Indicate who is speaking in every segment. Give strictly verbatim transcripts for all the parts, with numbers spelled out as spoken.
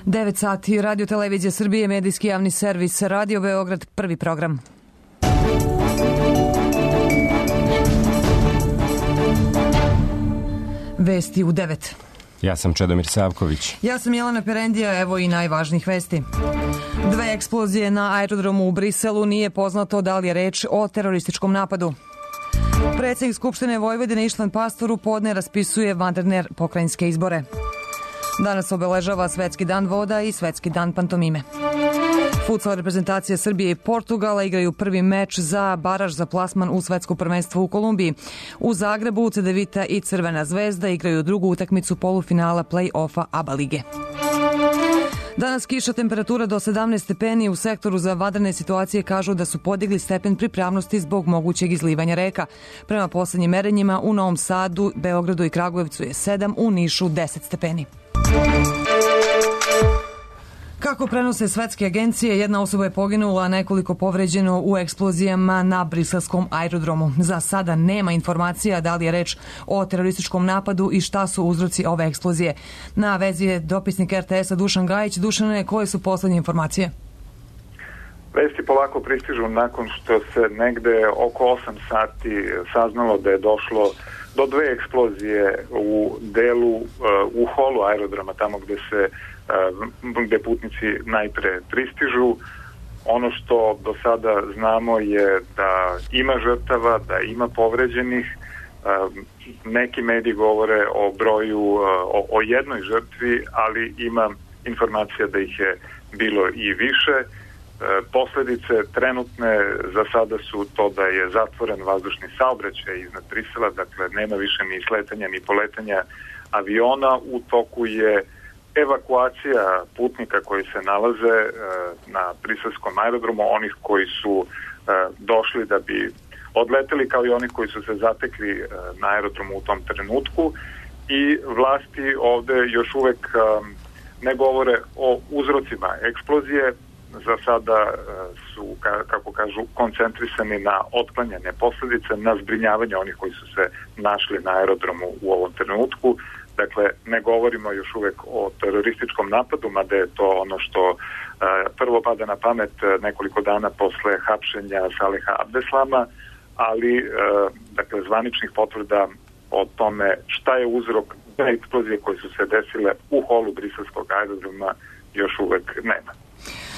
Speaker 1: devet sati, Radio Televizija Srbije, medijski javni servis, Radio Beograd, prvi program. Vesti u devet.
Speaker 2: Ja sam Čedomir Savković.
Speaker 1: Ja sam Jelena Perendija, evo i najvažnijih vesti. Dve eksplozije na aerodromu u Briselu, nije poznato da li je reč o terorističkom napadu. Predsjednik Skupštine Vojvodine Išlan Pastor u podne raspisuje vanredne pokrajinske izbore. Danas obeležava Svetski dan voda i Svetski dan pantomime. Futsal reprezentacija Srbije i Portugala igraju prvi meč za baraž za plasman u Svetsko prvenstvo u Kolumbiji. U Zagrebu Cedevita i Crvena zvezda igraju drugu utakmicu polufinala play-offa ABA lige. Danas kiša, temperatura do sedamnaest stepeni. U sektoru za vanredne situacije kažu da su podigli stepen pripravnosti zbog mogućeg izlivanja reka. Prema poslednjim merenjima u Novom Sadu, Beogradu i Kragujevcu je sedam, u Nišu deset stepeni. Kako prenose svetske agencije, jedna osoba je poginula, a nekoliko povređeno u eksplozijama na briselskom aerodromu. Za sada nema informacija da li je reč o terorističkom napadu i šta su uzroci ove eksplozije. Na vezi je dopisnik er te esa Dušan Gajić. Dušane, koje su poslednje informacije?
Speaker 3: Vesti polako pristižu nakon što se negde oko osam sati saznalo da je došlo do dve eksplozije u delu, u holu aerodroma, tamo gde se gde putnici najpre pristižu. Ono što do sada znamo je da ima žrtava, da ima povređenih. Neki mediji govore o broju, o, o jednoj žrtvi, ali ima informacija da ih je bilo i više. Posledice trenutne za sada su to da je zatvoren vazdušni saobraćaj iznad Brisela, dakle nema više ni sletanja ni poletanja aviona. U toku je evakuacija putnika koji se nalaze na briselskom aerodromu, onih koji su došli da bi odleteli, kao i oni koji su se zatekli na aerodromu u tom trenutku, i vlasti ovde još uvek ne govore o uzrocima eksplozije. Za sada su, kako kažu, koncentrisani na otklanjanje posledice, na zbrinjavanje onih koji su se našli na aerodromu u ovom trenutku. Dakle, ne govorimo još uvek o terorističkom napadu, mada je to ono što uh, prvo pada na pamet nekoliko dana posle hapšenja Saleha Abdeslama, ali uh, dakle, zvaničnih potvrda o tome šta je uzrok da eksplozije koje su se desile u holu briselskog aerodroma još uvek nema.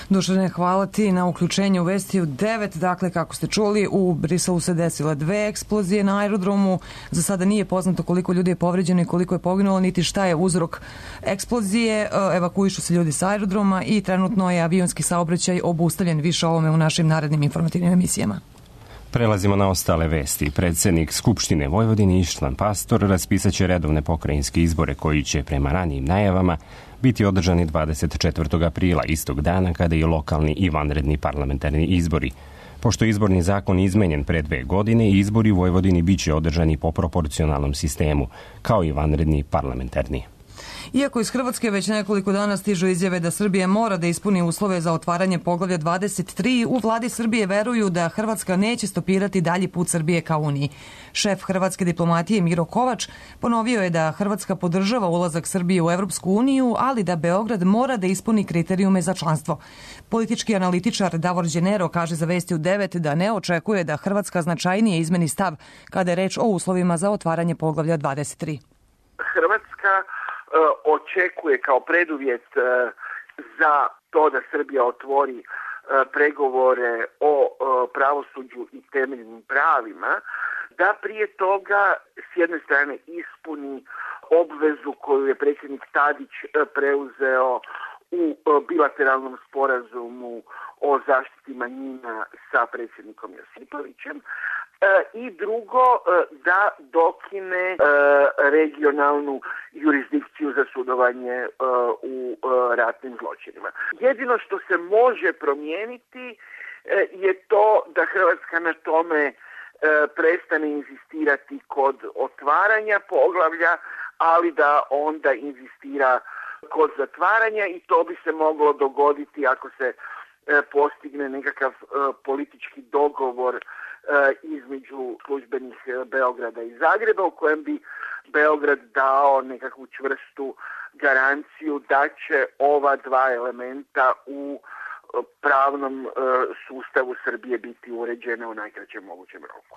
Speaker 1: Dušane, hvala ti na uključenju u vesti u devet. Dakle, kako ste čuli, u Briselu se desile dve eksplozije na aerodromu. Za sada nije poznato koliko ljudi je povređeno i koliko je poginulo, niti šta je uzrok eksplozije. Evakuišu se ljudi sa aerodroma i trenutno je avionski saobraćaj obustavljen. Više o ovome u našim narednim informativnim emisijama.
Speaker 2: Prelazimo na ostale vesti. Predsjednik Skupštine Vojvodine Išlan Pastor raspisaće redovne pokrajinske izbore koji će, prema ranijim najavama, biti održani dvadeset četvrtog aprila, istog dana kada i lokalni i vanredni parlamentarni izbori. Pošto je izborni zakon izmenjen pre dve godine, izbori u Vojvodini biće održani po proporcionalnom sistemu, kao i vanredni parlamentarni.
Speaker 1: Iako iz Hrvatske već nekoliko dana stižu izjave da Srbija mora da ispuni uslove za otvaranje poglavlja dvadeset tri, u vladi Srbije veruju da Hrvatska neće stopirati dalji put Srbije ka Uniji. Šef hrvatske diplomatije Miro Kovač ponovio je da Hrvatska podržava ulazak Srbije u Evropsku uniju, ali da Beograd mora da ispuni kriterijume za članstvo. Politički analitičar Davor Đenero kaže za Vesti u devet da ne očekuje da Hrvatska značajnije izmeni stav kada je reč o uslovima za otvaranje poglavlja dvadeset tri.
Speaker 4: Hrvatska očekuje kao preduvjet za to da Srbija otvori pregovore o pravosuđu i temeljnim pravima, da prije toga s jedne strane ispuni obvezu koju je predsjednik Tadić preuzeo u bilateralnom sporazumu o zaštiti manjina sa predsjednikom Josipovićem, i drugo, da dokine regionalnu jurisdikciju za sudovanje u ratnim zločinima. Jedino što se može promijeniti je to da Hrvatska na tome prestane inzistirati kod otvaranja poglavlja, ali da onda inzistira kod zatvaranja, i to bi se moglo dogoditi ako se postigne nekakav politički dogovor između službenih Beograda i Zagreba, u kojem bi Beograd dao nekakvu čvrstu garanciju da će ova dva elementa u pravnom sustavu Srbije biti uređene u najkraćem mogućem roku.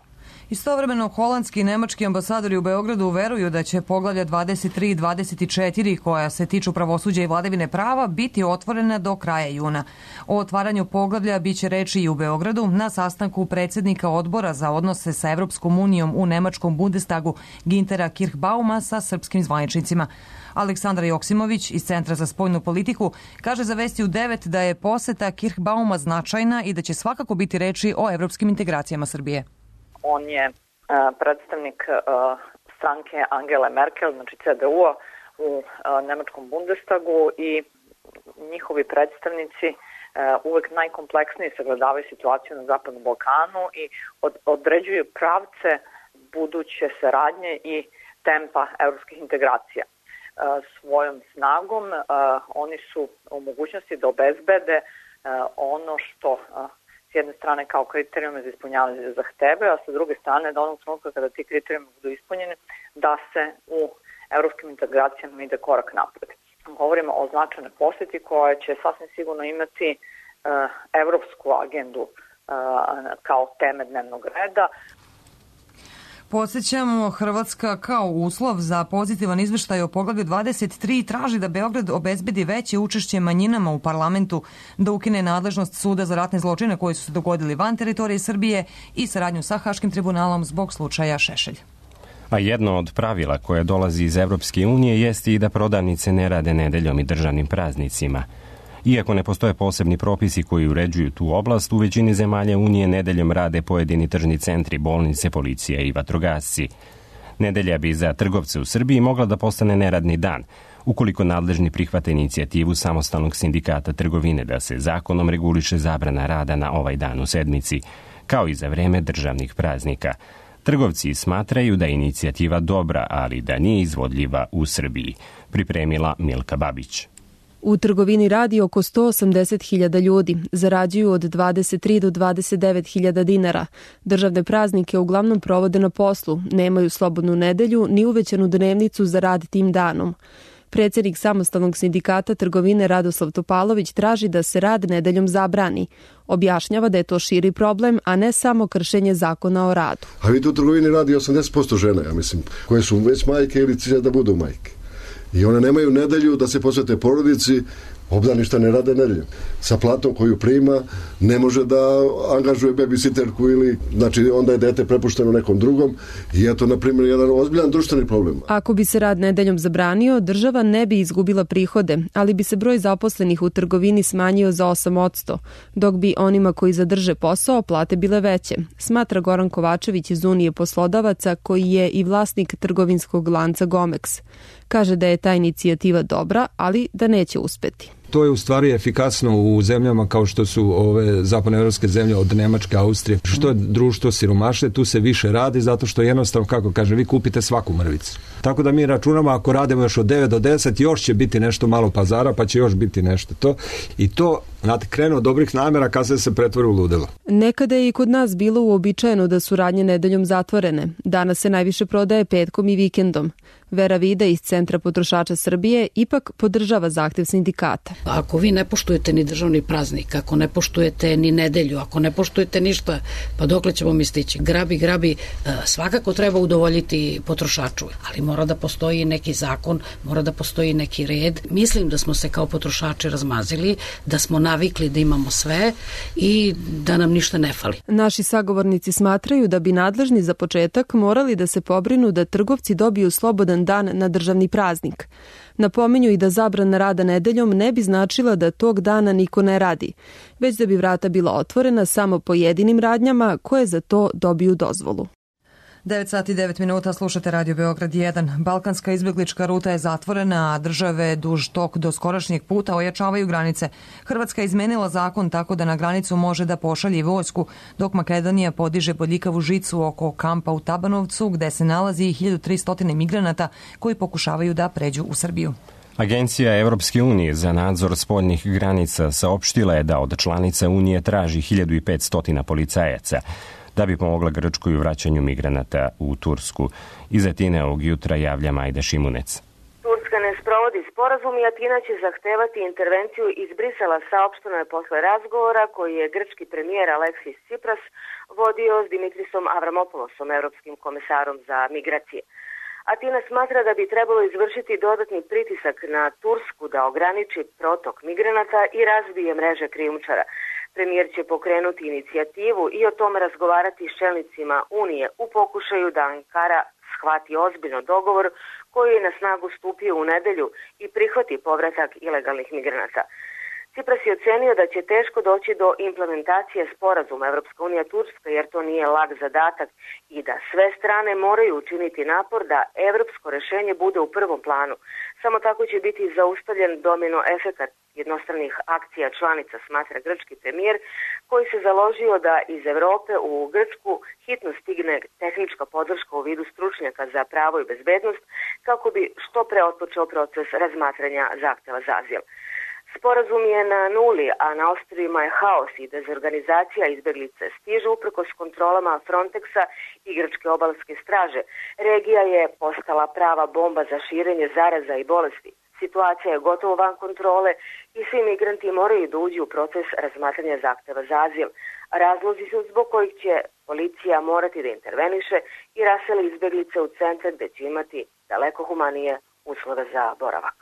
Speaker 1: Istovremeno, holandski i nemački ambasadori u Beogradu veruju da će poglavlja dvadeset tri i dvadeset četiri, koja se tiču pravosuđa i vladavine prava, biti otvorena do kraja juna. O otvaranju poglavlja biće reči i u Beogradu na sastanku predsjednika odbora za odnose sa Evropskom unijom u nemačkom Bundestagu Gintera Kirchbauma sa srpskim zvaničnicima. Aleksandar Joksimović iz Centra za spoljnu politiku kaže za Vesti u devet da je poseta Kirchbauma značajna i da će svakako biti reči o evropskim integracijama Srbije.
Speaker 5: On je uh, predstavnik uh, stranke Angele Merkel, znači C D U-a u uh, nemačkom Bundestagu i njihovi predstavnici uh, uvek najkompleksnije sagledavaju situaciju na Zapadnom Balkanu i od, određuju pravce buduće saradnje i tempa evropskih integracija. Svojom snagom oni su u mogućnosti da obezbede ono što s jedne strane kao kriterijume za ispunjavanje zahteve, a sa druge strane da onog trenutka kada ti kriterijumi budu ispunjeni, da se u evropskim integracijama ide korak napred. Govorimo o značajnoj posjeti koja će sasvim sigurno imati evropsku agendu kao teme dnevnog reda.
Speaker 1: Podsjećamo, Hrvatska kao uslov za pozitivan izveštaj o poglavlju dvadeset tri traži da Beograd obezbedi veće učešće manjinama u parlamentu, da ukine nadležnost suda za ratne zločine koji su se dogodili van teritorije Srbije i saradnju sa Haškim tribunalom zbog slučaja Šešelj.
Speaker 2: A jedno od pravila koje dolazi iz Evropske unije jeste i da prodavnice ne rade nedeljom i državnim praznicima. Iako ne postoje posebni propisi koji uređuju tu oblast, u većini zemalja Unije nedeljom rade pojedini tržni centri, bolnice, policija i vatrogasci. Nedelja bi za trgovce u Srbiji mogla da postane neradni dan, ukoliko nadležni prihvate inicijativu samostalnog sindikata trgovine da se zakonom reguliše zabrana rada na ovaj dan u sedmici, kao i za vreme državnih praznika. Trgovci smatraju da je inicijativa dobra, ali da nije izvodljiva u Srbiji, pripremila Milka Babić.
Speaker 6: U trgovini radi oko sto osamdeset hiljada ljudi, zarađuju od dvadeset tri do dvadeset devet hiljada dinara. Državne praznike uglavnom provode na poslu, nemaju slobodnu nedelju ni uvećanu dnevnicu za rad tim danom. Predsjednik samostalnog sindikata trgovine Radoslav Topalović traži da se rad nedeljom zabrani. Objašnjava da je to širi problem, a ne samo kršenje zakona o radu.
Speaker 7: A vidite, u trgovini radi osamdeset posto žena, ja mislim, koje su već majke ili cilja da budu majke. I one nemaju nedelju da se posvete porodici, obdaništa ne rade nedeljom. Sa platom koju prima ne može da angažuje babysitterku ili, znači onda je dete prepušteno nekom drugom i eto, na primjer, jedan ozbiljan društveni problem.
Speaker 6: Ako bi se rad nedeljom zabranio, država ne bi izgubila prihode, ali bi se broj zaposlenih u trgovini smanjio za osam posto, dok bi onima koji zadrže posao plate bile veće, smatra Goran Kovačević iz Unije poslodavaca koji je i vlasnik trgovinskog lanca Gomex. Kaže da je ta inicijativa dobra, ali da neće uspeti.
Speaker 8: To je u stvari efikasno u zemljama kao što su ove zapadnoevropske zemlje od Nemačke, Austrije. Što je društvo siromašne, tu se više radi zato što jednostavno, kako kaže, vi kupite svaku mrvicu. Tako da mi računamo ako radimo još od devet do deset, još će biti nešto malo pazara, pa će još biti nešto to. I to, znate, krenu od dobrih namjera kad se se pretvori u ludilo.
Speaker 6: Nekada je i kod nas bilo uobičajeno da su radnje nedeljom zatvorene. Danas se najviše prodaje petkom i vikendom. Vera Vida iz Centra potrošača Srbije ipak podržava zahtev sindikata.
Speaker 9: Ako vi ne poštujete ni državni praznik, ako ne poštujete ni nedelju, ako ne poštujete ništa, pa dokle ćemo mi stići? Grabi, grabi, svakako treba udovoljiti potrošaču, ali mora da postoji neki zakon, mora da postoji neki red. Mislim da smo se kao potrošači razmazili, da smo navikli da imamo sve i da nam ništa ne fali.
Speaker 6: Naši sagovornici smatraju da bi nadležni za početak morali da se pobrinu da trgovci dobiju slobodan dan na državni praznik. Napominju i da zabrana rada nedeljom ne bi značila da tog dana niko ne radi, već da bi vrata bila otvorena samo pojedinim radnjama koje za to dobiju dozvolu.
Speaker 1: devet sati i devet minuta, slušate Radio Beograd jedan. Balkanska izbjeglička ruta je zatvorena, a države duž tog do skorašnjeg puta ojačavaju granice. Hrvatska je izmenila zakon tako da na granicu može da pošalje vojsku, dok Makedonija podiže bodljikavu žicu oko kampa u Tabanovcu, gde se nalazi hiljadu tristo migranata koji pokušavaju da pređu u Srbiju.
Speaker 2: Agencija Evropske unije za nadzor spoljnih granica saopštila je da od članica Unije traži hiljadu petsto policajaca. da bi pomogla Grčkoj u vraćanju migranata u Tursku. Iz Atine ovog jutra javlja Majda Šimunec.
Speaker 10: Turska ne sprovodi sporazum i Atina će zahtevati intervenciju iz Brisela, saopšteno je posle razgovora koji je grčki premijer Aleksis Tsipras vodio s Dimitrisom Avramopoulosom, evropskim komesarom za migracije. Atina smatra da bi trebalo izvršiti dodatni pritisak na Tursku da ograniči protok migranata i razbije mreže krijumčara. Premijer će pokrenuti inicijativu i o tome razgovarati s čelnicima Unije u pokušaju da Ankara shvati ozbiljno dogovor koji je na snagu stupio u nedelju i prihvati povratak ilegalnih migranata. Tsipras je ocenio da će teško doći do implementacije sporazuma Evropska unija Turska jer to nije lag zadatak i da sve strane moraju učiniti napor da evropsko rešenje bude u prvom planu. Samo tako će biti zaustavljen domino efekat jednostranih akcija članica, smatra grčki premijer, koji se založio da iz Evrope u Grčku hitno stigne tehnička podrška u vidu stručnjaka za pravo i bezbednost kako bi što pre otpočeo proces razmatranja zahteva za azil. Sporazum je na nuli, a na ostrvima je haos i dezorganizacija, izbeglice stižu uprkos kontrolama Frontexa i grčke obalske straže. Regija je postala prava bomba za širenje zaraza i bolesti. Situacija je gotovo van kontrole i svi migranti moraju da uđu u proces razmatranja zahteva za azil. Razlozi su zbog kojih će policija morati da interveniše i raseli izbeglice u centar gde će imati daleko humanije uslove za boravak.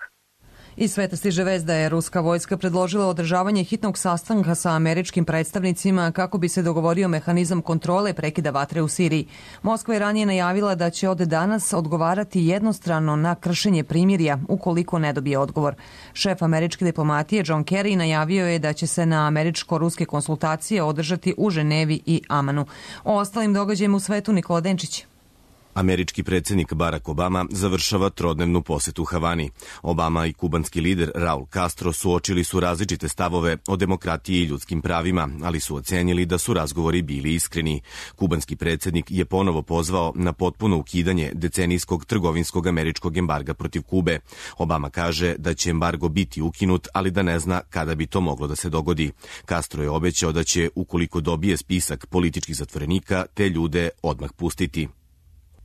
Speaker 1: Iz sveta stiže vest da je ruska vojska predložila održavanje hitnog sastanka sa američkim predstavnicima kako bi se dogovorio mehanizam kontrole prekida vatre u Siriji. Moskva je ranije najavila da će od danas odgovarati jednostrano na kršenje primirja ukoliko ne dobije odgovor. Šef američke diplomatije John Kerry najavio je da će se na američko-ruske konsultacije održati u Ženevi i Amanu. O ostalim događajima u svetu Nikola Denčić.
Speaker 11: Američki predsjednik Barack Obama završava trodnevnu posetu Havani. Obama i kubanski lider Raul Castro suočili su različite stavove o demokratiji i ljudskim pravima, ali su ocenili da su razgovori bili iskreni. Kubanski predsjednik je ponovo pozvao na potpuno ukidanje decenijskog trgovinskog američkog embarga protiv Kube. Obama kaže da će embargo biti ukinut, ali da ne zna kada bi to moglo da se dogodi. Castro je obećao da će, ukoliko dobije spisak političkih zatvorenika, te ljude odmah pustiti.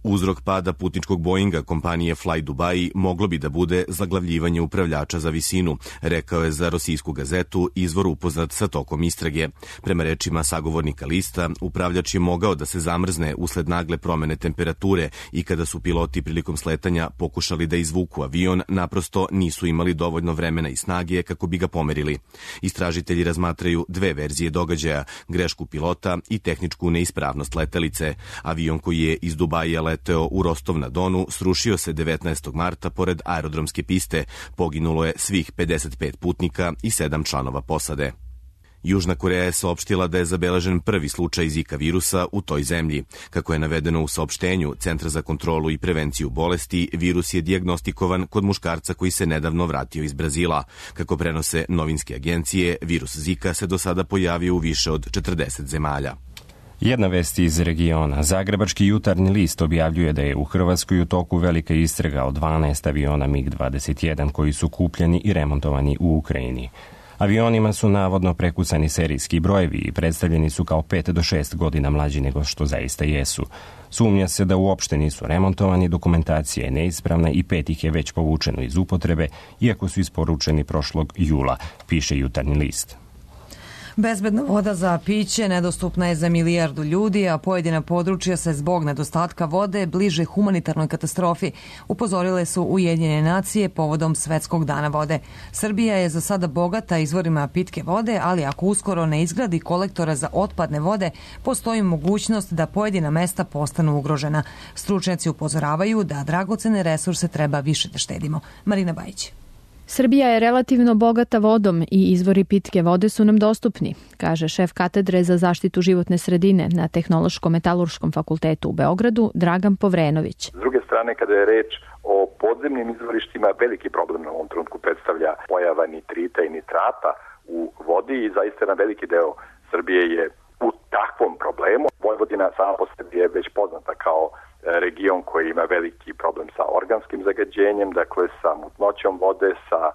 Speaker 11: Uzrok pada putničkog Boeinga kompanije Fly Dubai moglo bi da bude zaglavljivanje upravljača za visinu, rekao je za Rosijsku gazetu izvor upoznat sa tokom istrage. Prema rečima sagovornika lista, upravljač je mogao da se zamrzne usled nagle promene temperature i kada su piloti prilikom sletanja pokušali da izvuku avion, naprosto nisu imali dovoljno vremena i snage kako bi ga pomerili. Istražitelji razmatraju dve verzije događaja, grešku pilota i tehničku neispravnost letelice. Avion koji je iz Dubaija leteo u Rostov na Donu srušio se devetnaestog marta pored aerodromske piste. Poginulo je svih pedeset pet putnika i sedam članova posade. Južna Koreja je saopštila da je zabeležen prvi slučaj Zika virusa u toj zemlji. Kako je navedeno u saopštenju Centra za kontrolu i prevenciju bolesti, virus je dijagnostikovan kod muškarca koji se nedavno vratio iz Brazila. Kako prenose novinske agencije, virus Zika se do sada pojavio u više od četrdeset zemalja.
Speaker 2: Jedna vest iz regiona. Zagrebački jutarnji list objavljuje da je u Hrvatskoj u toku velika istraga o dvanaest aviona mig dvadeset jedan koji su kupljeni i remontovani u Ukrajini. Avionima su navodno prekucani serijski brojevi i predstavljeni su kao pet do šest godina mlađi nego što zaista jesu. Sumnja se da uopšte nisu remontovani, dokumentacija je neispravna i pet ih je već povučeno iz upotrebe, iako su isporučeni prošlog jula, piše jutarnji list.
Speaker 1: Bezbedna voda za piće nedostupna je za milijardu ljudi, a pojedina područja se zbog nedostatka vode bliže humanitarnoj katastrofi, upozorile su Ujedinjene nacije povodom Svetskog dana vode. Srbija je za sada bogata izvorima pitke vode, ali ako uskoro ne izgradi kolektora za otpadne vode, postoji mogućnost da pojedina mesta postanu ugrožena. Stručnjaci upozoravaju da dragocene resurse treba više da štedimo. Marina Bajić.
Speaker 6: Srbija je relativno bogata vodom i izvori pitke vode su nam dostupni, kaže šef katedre za zaštitu životne sredine na Tehnološko-metalurškom fakultetu u Beogradu Dragan Povrenović.
Speaker 12: S druge strane, kada je reč o podzemnim izvorištima, veliki problem na ovom trenutku predstavlja pojava nitrita i nitrata u vodi i zaista jedan veliki deo Srbije je u takvom problemu. Vojvodina sama po sebi je već poznata kao region koji ima veliki problem sa organskim zagađenjem, dakle sa mutnoćom vode, sa e,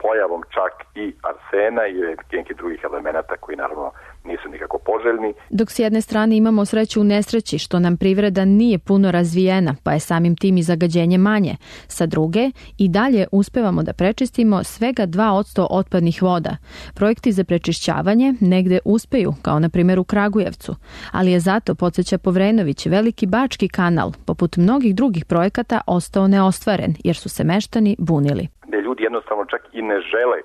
Speaker 12: pojavom čak i arsena i nekih drugih elemenata koji naravno nisu nikako poželjni.
Speaker 13: Dok s jedne strane imamo sreću u nesreći što nam privreda nije puno razvijena, pa je samim tim i zagađenje manje. Sa druge, i dalje uspevamo da prečistimo svega dva posto otpadnih voda. Projekti za prečišćavanje negde uspeju, kao na primjer u Kragujevcu, ali je zato, podsjeća Povrenović, Veliki Bački kanal, poput mnogih drugih projekata, ostao neostvaren, jer su se meštani bunili.
Speaker 12: Gde ljudi jednostavno čak i ne žele,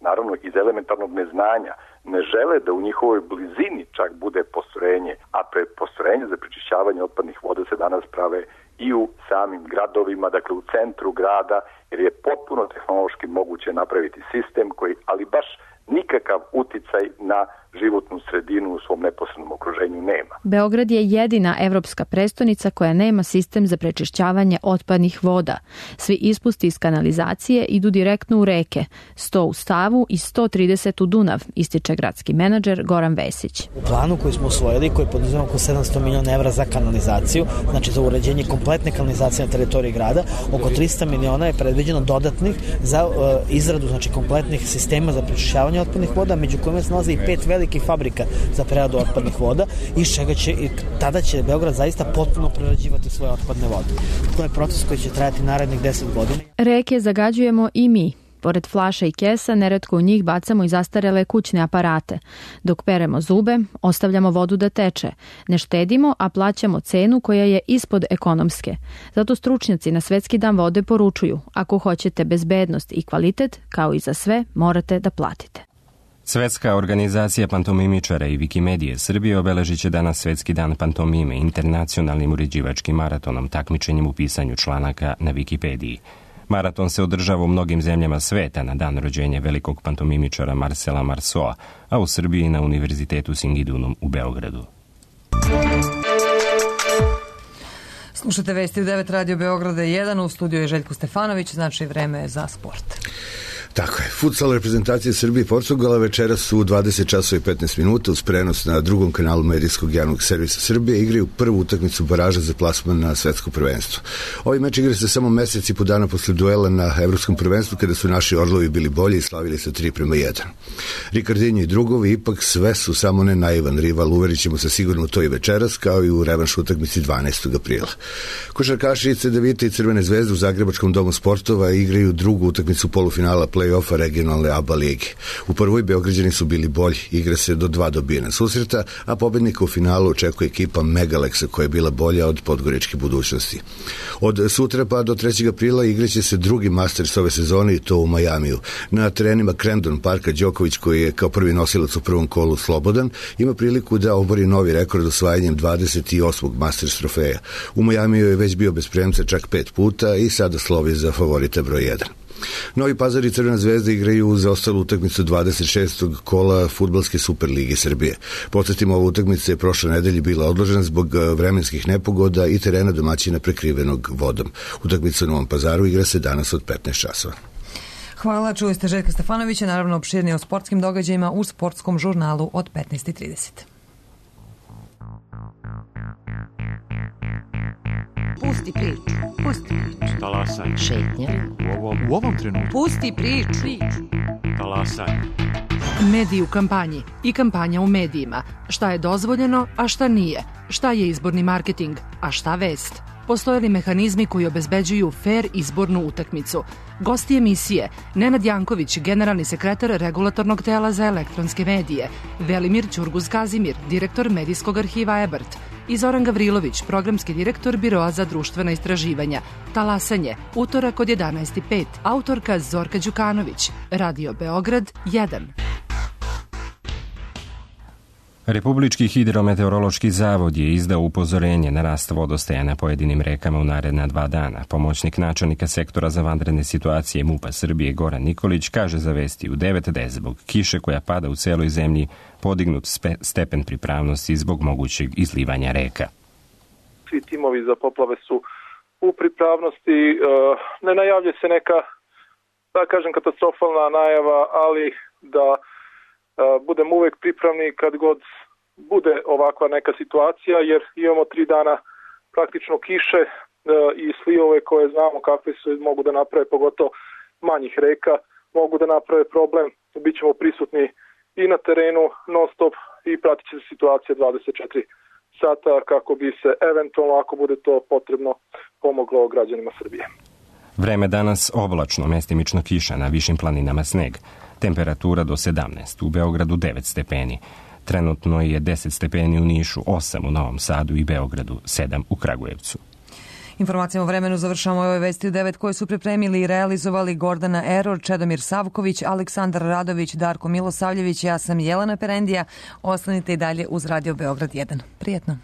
Speaker 12: naravno iz elementarnog neznanja, ne žele da u njihovoj blizini čak bude postrojenje, a pre postrojenje za prečišćavanje otpadnih voda se danas prave i u samim gradovima, dakle u centru grada, jer je potpuno tehnološki moguće napraviti sistem koji, ali baš nikakav uticaj na životnu sredinu u svom neposrednom okruženju nema.
Speaker 13: Beograd je jedina evropska prestonica koja nema sistem za prečišćavanje otpadnih voda. Svi ispusti iz kanalizacije idu direktno u reke, sto u Stavu i sto trideset u Dunav, ističe gradski menadžer Goran Vesić.
Speaker 14: U planu koji smo usvojili, koji poduzima oko sedamsto miliona evra za kanalizaciju, znači za uređenje kompletne kanalizacije na teritoriji grada, oko trista miliona je predviđeno dodatnih za uh, izradu znači kompletnih sistema za prečišćavanje otpadnih voda, među kojima se nalazi i pet velikih fabrika za preradu otpadnih voda, iz čega će i tada će Beograd zaista potpuno prerađivati svoje otpadne vode. To je proces koji će trajati narednih deset godina.
Speaker 13: Reke zagađujemo i mi. Pored flaša i kesa, neretko u njih bacamo i zastarele kućne aparate. Dok peremo zube, ostavljamo vodu da teče. Ne štedimo, a plaćamo cenu koja je ispod ekonomske. Zato stručnjaci na Svetski dan vode poručuju, ako hoćete bezbednost i kvalitet, kao i za sve, morate da platite.
Speaker 2: Svetska organizacija pantomimičara i Wikimedije Srbije obeležit će danas Svetski dan pantomime internacionalnim uređivačkim maratonom, takmičenjem u pisanju članaka na Wikipediji. Maraton se održava u mnogim zemljama sveta na dan rođenja velikog pantomimičara Marcela Marceaua, a u Srbiji na Univerzitetu Singidunum u Beogradu.
Speaker 1: Slušate vesti u devet Radio Beograda jedan, u studiju je Željko Stefanović, znači vreme je za sport.
Speaker 15: Tako je. Futsal reprezentacije Srbije i Portugala večeras su u dvadeset časova i petnaest minuta uz prenos na drugom kanalu medijskog javnog servisa Srbije igraju prvu utakmicu baraža za plasman na svetsko prvenstvo. Ovaj meč igra se samo mesec i po dana posle duela na evropskom prvenstvu kada su naši Orlovi bili bolji i slavili sa tri prema jedan. Ricardinho i drugovi ipak sve su samo ne naivan rival, uverit ćemo se sigurno u to i večeras, kao i u revanš utakmici dvanaestog aprila. Košarkaši Cedevita i Crvene zvezde u Zagrebačkom domu sportova igraju drugu utakmicu polufinala play-offa regionalne A B A lige. U prvoj Beograđani su bili bolji, igra se do dva dobijena susreta, a pobednika u finalu očekuje ekipa Megaleksa koja je bila bolja od podgoričke budućnosti. Od sutra pa do trećeg aprila igraće se drugi Masters ove sezone i to u Majamiju. Na terenima Crandon Parka Đoković, koji je kao prvi nosilac u prvom kolu slobodan, ima priliku da obori novi rekord osvajanjem dvadeset osmog Masters trofeja. U Majamiju je već bio bez premca čak pet puta i sada slovi za favorita broj jedan. Novi Pazar i Crvena zvezda igraju za ostalu utakmicu dvadeset šestog kola Fudbalske Superlige Srbije. Podsjetimo, ova utakmica je prošle nedelje bila odložena zbog vremenskih nepogoda i terena domaćina prekrivenog vodom. Utakmica u Novom Pazaru igra se danas od petnaest časova.
Speaker 1: Hvala, čuli ste Željka Stefanovića, naravno opširnije o sportskim događajima u sportskom žurnalu od petnaest i trideset.
Speaker 16: Pusti priču, pusti priču.
Speaker 17: Talasaj.
Speaker 16: Šetnja.
Speaker 17: U ovom, u ovom trenutku.
Speaker 16: Pusti priču.
Speaker 17: Talasaj.
Speaker 18: Mediji u kampanji i kampanja u medijima. Šta je dozvoljeno, a šta nije? Šta je izborni marketing, a šta vest? Postoje li mehanizmi koji obezbeđuju fer izbornu utakmicu? Gosti emisije: Nenad Janković, generalni sekretar Regulatornog tela za elektronske medije, Velimir Ćurguz-Kazimir, direktor Medijskog arhiva Ebert, i Zoran Gavrilović, programski direktor Biroa za društvena istraživanja. Talasanje, utorak od jedanaest i pet. Autorka Zorka Đukanović. Radio Beograd jedan.
Speaker 2: Republički hidrometeorološki zavod je izdao upozorenje na rast vodostaja na pojedinim rekama u naredna dva dana. Pomoćnik načelnika sektora za vanredne situacije MUP-a Srbije Goran Nikolić kaže za vesti u devet da je zbog kiše koja pada u celoj zemlji podignut stepen pripravnosti zbog mogućeg izlivanja reka.
Speaker 19: Svi timovi za poplave su u pripravnosti. Ne najavlja se neka, da kažem, katastrofalna najava, ali da budem uvek pripravni kad god bude ovakva neka situacija, jer imamo tri dana praktično kiše i slivove koje znamo kakve se mogu da naprave, pogotovo manjih reka, mogu da naprave problem. Bićemo prisutni i na terenu non stop i pratit će se situacija dvadeset četiri sata kako bi se eventualno, ako bude to potrebno, pomoglo građanima Srbije.
Speaker 2: Vreme danas oblačno, mestimično kiša, na višim planinama sneg. Temperatura do sedamnaest, u Beogradu devet stepeni. Trenutno je deset stepeni u Nišu, osam u Novom Sadu i Beogradu, sedam u Kragujevcu.
Speaker 1: Informacijama o vremenu završamo ove vesti u devet koje su pripremili i realizovali Gordana Eror, Čedomir Savković, Aleksandar Radović, Darko Milosavljević, ja sam Jelena Perendija. Ostanite i dalje uz Radio Beograd jedan. Prijetno.